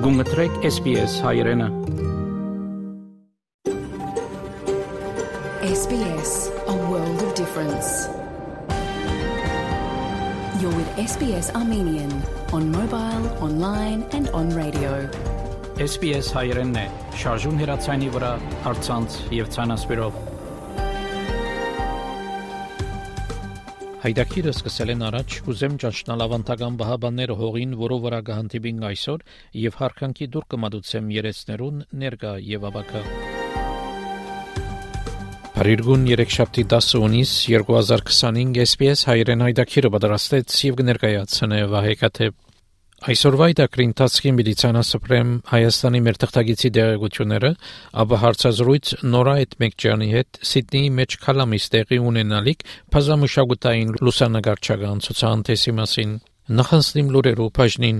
Գումտրեք SBS հայրենը։ SBS, a world of difference. You're with SBS Armenian on mobile, online and on radio. SBS հայրենն է, շարժուն հեռացայինի վրա, առցանց եւ ցանասպիրով։ Հայդակիրը սկսել են առաջ, կուզեմ ճանչնալ ավանդական բահաբանները հողին, որով վրա կհանդիպին այսօր, եւ հարկանքի դուր կմատուցեմ երեցներուն ներկա եւ ավակա։ Փարիգուն 3-7 հունիս 2025 SBS հայրեն հայդակիրը պատրաստեց եւ կներկայացնե Վահեկաթե։ Այսօրվա դակրին տածքին մեդիցինասպրեմ Հայաստանի մեր թղթագիտի դերակցությունները, ապա հարցազրույց Նորա Էտմեկջյանի հետ Սիդնեի մեջ քալամիս տեղի ունենալիք բազմամշակութային լուսանկարչական ցուցահանդեսի մասին։ Նախանցնիմ լուրերով բաժնին։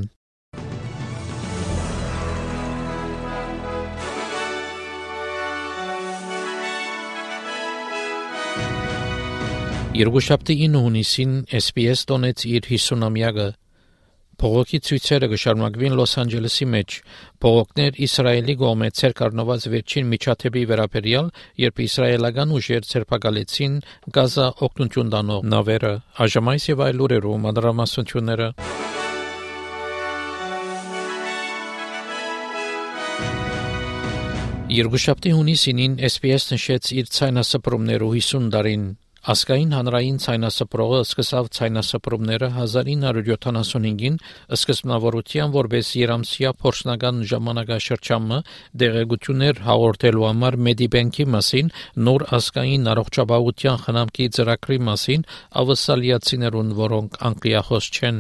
Երկուշաբթի 9 հունիսին SBS տոնեց իր 50-ամյակը։ Փողոքի ցույցերը կշարունակվին Լոս Անջելեսի մեջ։ Փողոքներ Իսրայելի կողմից ցերկառնված վերջին միջադեպի վերաբերյալ, երբ իսրայելական ուժեր ցերպակալեցին Գազա օգնություն տանող նավերը, այժմ այս եւ այլ լուրերով մանրամասնությունները։ Երկուշաբթի հունիսին SBS նշեց իր ցայնասպրումներով 50 տարին։ Ասկային հանրային ցայնասպրողը սկսավ ցայնասպրումները 1975-ին սկզբնավորության որպես երամսյա փորձնական ժամանակաշրջանը դեղեցություններ հաղորդելու համար Մեդիբենքի մասին նոր ասկային առողջապահության խնամքի ծրագրի մասին ավասալիացիներուն, որոնք անգլիախոս չեն։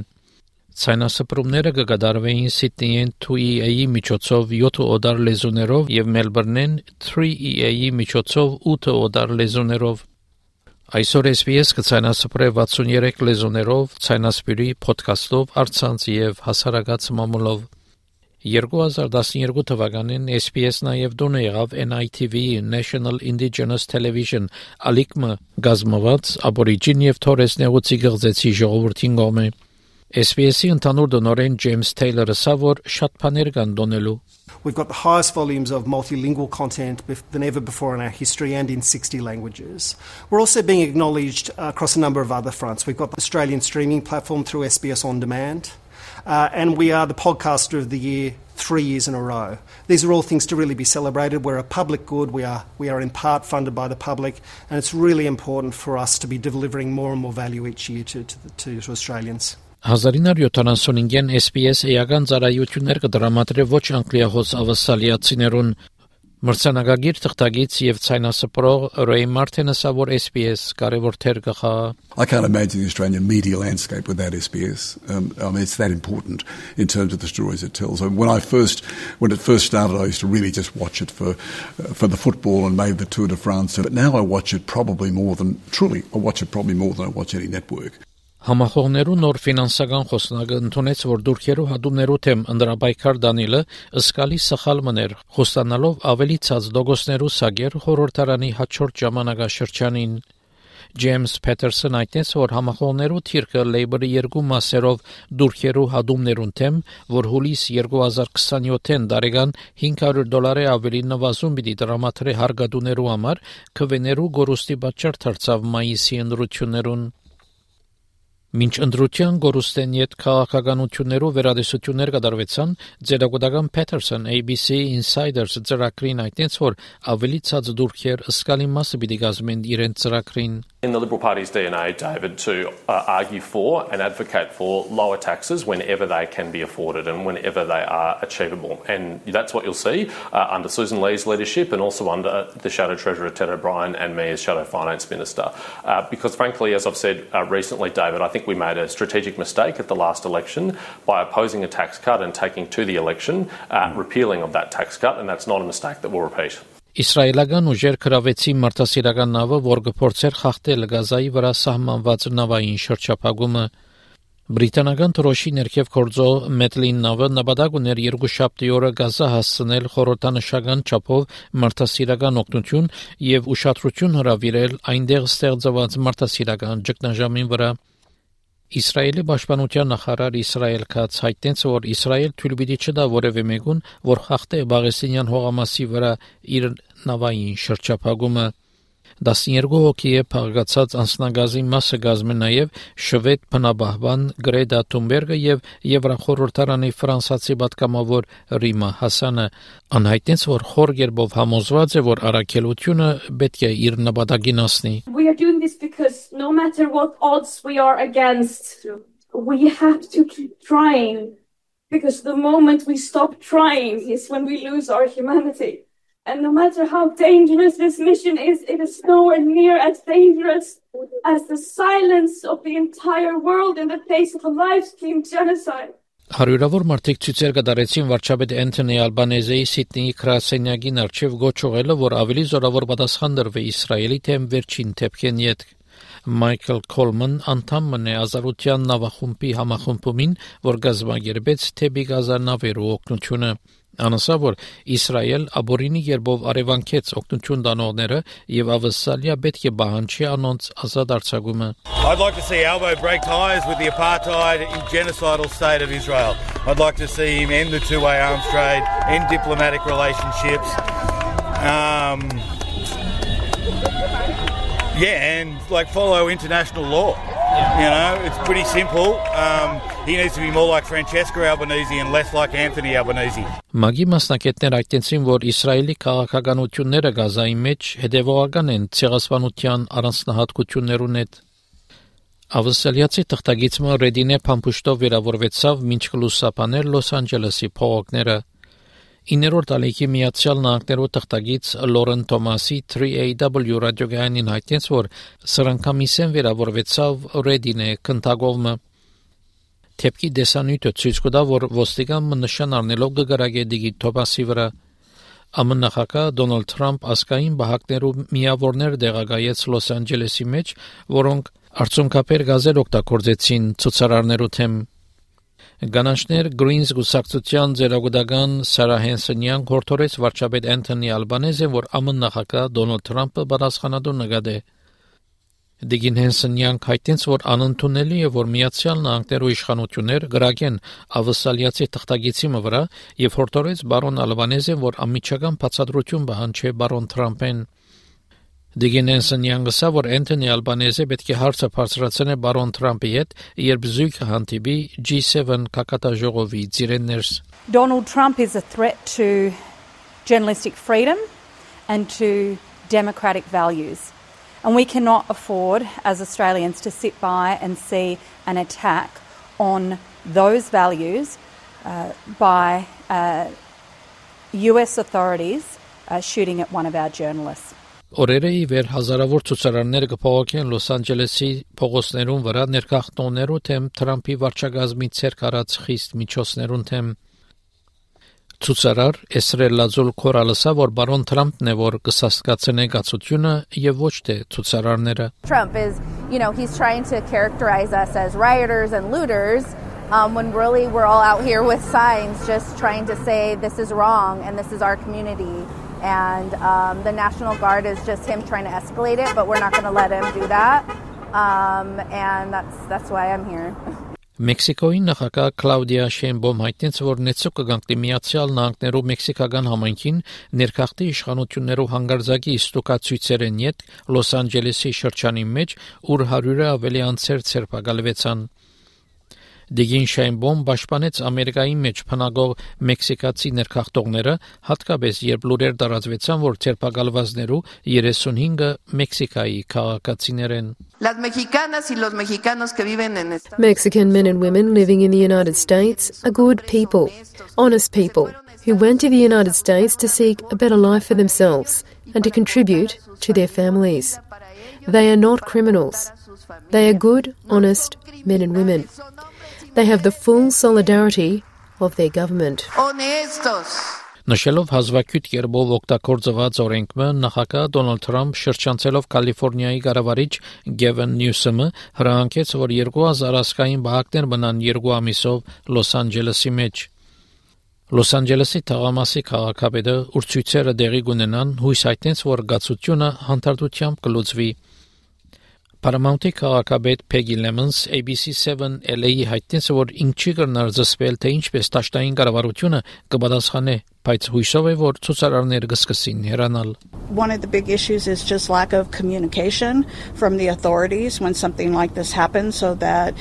Ցայնասպրումները կկատարվեին Սիդնեյին 2EA-ի միջոցով 7 օդար լեզուներով եւ Մելբուրնեն 3EA-ի միջոցով 8 օդար լեզուներով։ Այսօր SBS կցայնասպրե 63 լեզուներով, ցայնասպիրի փոդքասթով, առցանց եւ հասարակած մամուլով։ 2012 թվականին SBS նաև դոնե եղավ NITV National Indigenous Television ալիքմը գազմված Աբորիջին եւ Թորես նեղուցի գղձեցի ժողովրդին կողմէ։ SBS-ի ընդհանուր դոնորեն Ջեյմս Թեյլորը ասա, որ շատ բաներ կան դոնելու։ We've got the highest volumes of multilingual content than ever before in our history and in 60 languages. We're also being acknowledged across a number of other fronts. We've got the Australian streaming platform through SBS On Demand, and we are the podcaster of the year 3 years in a row. These are all things to really be celebrated. We're a public good. We are in part funded by the public, and it's really important for us to be delivering more and more value each year to Australians. 1975-ին SBS էական ծառայություններ կդրամատրե ոչ անգլիախոս ավասալիացիներուն մրցանակագիր թղթագից եւ ցայնասպրող Ռեյ Մարտինը ասա, որ SBS կարևոր թեր կխա։ I can't imagine the Australian media landscape without SBS. I mean, it's that important in terms of the stories it tells. I mean, when it first started, I used to really just watch it for the football and maybe the Tour de France. But now I watch it probably more than I watch any network. Համախոհներու նոր ֆինանսական խոսնակը ընդունեց, որ դուրքերու հադումներու թեմ ընդրաբայքար Դանիելը ըսկալի սխալ մներ, խոստանալով ավելի ցած դոգոսներու սագեր խորհրդարանի հաջորդ ժամանակաշրջանին։ Ջեյմս Փեթերսոն այդտես, որ համախոհներու թիրքը Լեյբորի երկու մասերով դուրքերու հադումներուն թեմ, որ հուլիս 2027-ին դարեգան $500 ավելի նվազում պիտի դրամատրե հարգադուներու համար, քվեներու գորուստի պատճառ դարձավ մայիսի ընտրություններուն։ Մինչ ընդրության գորուստեն յետ քաղաքականություններով վերադեսություններ կատարվեցան, ձերագուտական Փեթերսոն ABC Insiders ծրագրին այդտենց, որ ավելի ցած դուրքեր ըսկալի մասը պիտի կազմեն իրենց ծրագրին։ In the Liberal Party's DNA, David, to argue for and advocate for lower taxes whenever they can be afforded and whenever they are achievable. And that's what you'll see under Susan Lee's leadership and also under the Shadow Treasurer Ted O'Brien and me as Shadow Finance Minister. Because frankly, as I've said recently, David, I think we made a strategic mistake at the last election by opposing a tax cut and taking to the election repealing of that tax cut, and that's not a mistake that we'll repeat. Իսրայելական ուժեր կրավեցին մարտահրավերական նավը, որ կփորձեր խախտել Գազայի վրա սահմանված նավային շրջափակումը։ Բրիտանական թրոշի ներքև գործող Մեթլին նավը նպատակ ուներ երկուշաբթի օրը Գազա հասցնել խորհրդանշական չափով մարտահրավերական օգնություն եւ ուշադրություն հրավիրել այնտեղ ստեղծված մարտահրավերական ճգնաժամին վրա։ Իսրայելի պաշտպանության նախարար Իսրայել Քաց հայտնեց, որ Իսրայել թույլ պիտի չտա որևէ մեկուն, որ խախտե Պաղեստինյան հողամասի վրա իր նավային շրջափակումը։ 12 հոգի է փաղկացած անձնագազի մասը գազմ է նաև շվեդ բնաբահբան Գրետա Թունբերգը եւ Եվրախորհրդարանի ֆրանսացի պատգամավոր Ռիմա Հասանը անհայտեց, որ խոր կերպով համոզված է, որ առաքելությունը պետք է իր նպատակին հասնի։ We are doing this because no matter what odds we are against, we have to keep trying, because the moment we stop trying is when we lose our humanity. And no matter how dangerous this mission is, it is nowhere near as dangerous as the silence of the entire world in the face of a live-stream genocide. Հարյուրավոր մարդիկ ցույցեր կդարեցին վարչապետ Անթոնի Ալբանեզեի Սիդնեի գրասենյակին առջև գոչողելը, որ ավելի զորավոր պատասխան դրվի Իսրայելի թեմ վերջին թեփքեն յետ։ Մայքլ Քոլման անդամն է ազատության նավախումբի համախմբումին, որ գազագերբեց թեպի գազանավերու օգնությունը։ Անասա, որ Իսրայել աբորինի երբով արևանքեց օգնություն տանողները եւ ավսալիա պետք է բանջի անոնց ազատ արձակումը։ I'd like to see Albo break ties with the apartheid genocidal state of Israel. I'd like to see him end the two-way arms trade, end diplomatic relationships. And follow international law. You know, it's pretty simple. He needs to be more like Francesca Albanese and less like Anthony Albanese. Մագի մասնակիցներ այդտենցին, որ Իսրայելի քաղաքականությունները Գազայի մեջ հետևողական են ցեղասպանության առանձնահատկություններուն հետ։ Ավսալիացի թղթագիտը Ռեդինե Փամփուշտով վերավորվեցավ մինչ լուսաբաներ Լոս Անջելեսի փողոցները։ 9-րդ ալիքի Միացյալ Նահանգներու թղթագիծ Լորեն Թոմասի 3AW ռադիոգայանին հայտնեց, որ սրանքամիսեն վերավորվեցավ Ռեդինե քննագովը։ Թեփքի դեսանյութը ցույց կտա, որ ոստիկանը նշան առնելով կգրագե Դիգի Թոմասի վրա։ ԱՄՆ նախագահ Դոնալդ Թրամփ ասկային բահակներու միավորներ դեղագայեց Լոս Անջելեսի մեջ, որոնք արցունքապեր գազեր օգտագործեցին ցուցարարներու թեմ։ Գանանչներ Greens գուսակցության ձերագուտական Սարա Հենսոնյան հորդորեց վարչապետ Անթոնի Ալբանեզին, որ ԱՄՆ նախագահ Դոնալդ Թրամփը պատասխանատու նկատի։ Դիգին Հենսոնյան հայտնեց, որ անընդունելի է, որ Միացյալ Նահանգներու իշխանություններ գրագեն ավսալիացի թղթագիտի վրա եւ հորդորեց բարոն Ալբանեզին, որ անմիջական բացատրություն պահանջի բարոն Թրամփեն։ Դիգին Հենսոնյան գսա, որ Անթոնի Ալբանեզը պետք է հարցը բարձրացնի բարոն Թրամփի հետ, երբ զույգը հանդիպի G7 կակատաժողովի ծիրեններս։ Donald Trump is a threat to journalistic freedom and to democratic values. And we cannot afford, as Australians, to sit by and see an attack on those values by US authorities shooting at one of our journalists. Օրերը ի վեր հազարավոր ցուցարարներ կփողոքեն Լոս Անջելեսի փողոցներուն վրա ներկախտողներու թեմ Թրամփի վարչագազմի ցերկ արած խիստ միջոցներուն թեմ։ Ցուցարար Էսրել Լազուլ Կորալսա, որ բարոն Թրամփն է, որ կսաստկացնե գացությունը եւ ոչ թե ցուցարարները։ Trump is, he's trying to characterize us as rioters and looters when really we're all out here with signs just trying to say this is wrong and this is our community. And the National Guard is just him trying to escalate it, but we're not going to let him do that. And that's why I'm here. Մեքսիկոյի նախագահ Կլաուդիա Շեյնբոմ հայտնեց, որ նեցու կգանքի Միացյալ Նահանգներու մեքսիկական համայնքին ներքախտի իշխանություններու հանգարձակի ստուկացույցերեն յետ Լոս Անջելեսի շրջանի մեջ, ուր 100-ը ավելի անձեր ցերպակալվեցան։ Դիգին Շեյնբոմ պաշտպանեց Ամերիկայի մեջ փնագող մեքսիկացի ներքախտողները, հատկապես երբ լուրեր տարածվեցան, որ ցերպակալվածներու 35-ը Մեքսիկայի քաղաքացիներ են։ Mexican men and women living in the United States are good people, honest people, who went to the United States to seek a better life for themselves and to contribute to their families. They are not criminals. They are good, honest men and women. They have the full solidarity of their government. Նշելով հազվագյուտ կերպով օգտագործված օրենքը, նախագահ Դոնալդ Թրամփ շրջանցելով Կալիֆոռնիայի կառավարիչ Գևին Նյուսոմը հրահանգեց, որ 2000 ազգային բահակներ մնան 2 ամիսով Լոս Անջելեսի մեջ։ Լոս Անջելեսի թաղամասի քաղաքապետը ուրցույցերը դեղի կունենան, հույս հայտնեց, որ գացությունը հանդարտությամբ կլուծվի։ Paramount-ի քաղաքապետ Peggy Lemons ABC7 LA-ի հայտնեց, որ ինքնի կրնար զսպել, թե ինչպես դաշտային կառավարությունը կպատասխանե, բայց հույսով է, որ ցուցարարները կսկսին հեռանալ. One of the big issues is just lack of communication from the authorities when something like this happens, so that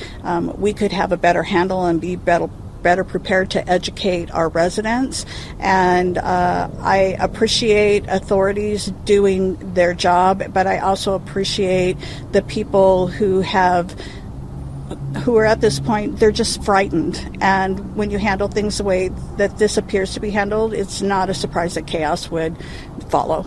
we could have a better handle and be better prepared to educate our residents. And I appreciate authorities doing their job, but I also appreciate the people who are at this point, they're just frightened. And when you handle things the way that this appears to be handled, it's not a surprise that chaos would follow.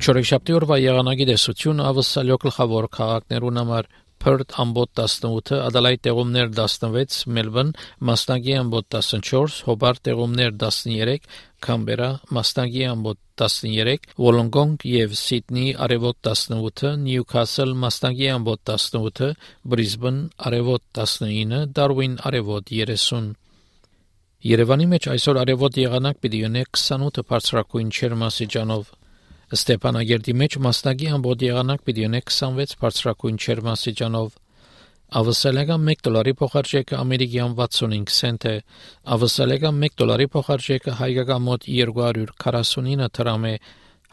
Չորեքշաբթի օրվա եղանակի տեսություն ավսալյո գլխավոր քաղաքներուն համար Perth ամբոտ 18, Adelaide տեղումներ 16, Melbourne մասնագի ամբոտ 14, Hobart տեղումներ 13, Canberra մասնագի ամբոտ 13, Wollongong եւ Sydney արևոտ 18, Newcastle մասնագի ամբոտ 18, Brisbane արևոտ 19, Darwin արևոտ 30. Երևանի մեջ այսօր արևոտ եղանակ պիտի ունի 28 բարձրակույն ջերմաստիճանով. Ստեփանագերդի մեջ մասնագի ամբողջ եղանակ պիտի ունի 26 բարձրակույն ջերմաստիճանով. Ավսալեգան $1 փոխարժեքը ամերիկյան 65 سنت է. Ավսալեգան $1 փոխարժեքը հայկական մոտ 249 դրամ է.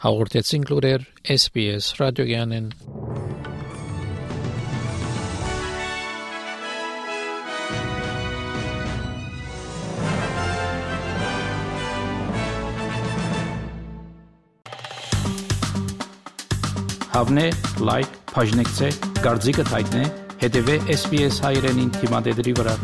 Հաղորդեցին լուրեր SBS ռադիոգյանեն. Հավնե, լայք, բաժնեկցե, դարձիկը թայտնե, հետևե SBS հայրենին թիմադեդրի վրա.